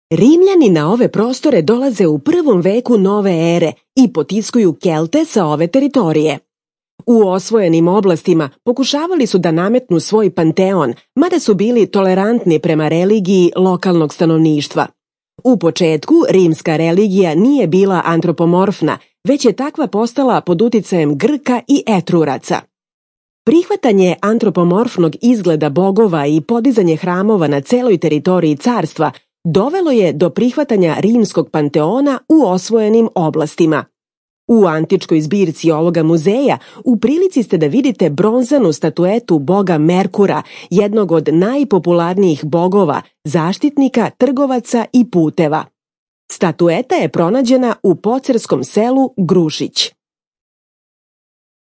Rimljani na ove prostore dolaze u 1. veku nove ere i potiskuju Kelte sa ove teritorije. U osvojenim oblastima pokušavali su da nametnu svoj panteon, mada su bili tolerantni prema religiji lokalnog stanovništva. U početku rimska religija nije bila antropomorfna, već je takva postala pod uticajem Grka i Etruraca. Prihvatanje antropomorfnog izgleda bogova i podizanje hramova na celoj teritoriji carstva dovelo je do prihvatanja rimskog panteona u osvojenim oblastima. U antičkoj zbirci ovoga muzeja u prilici ste da vidite bronzanu statuetu boga Merkura, jednog od najpopularnijih bogova, zaštitnika, trgovaca i puteva. Statueta je pronađena u pocerskom selu Grušić.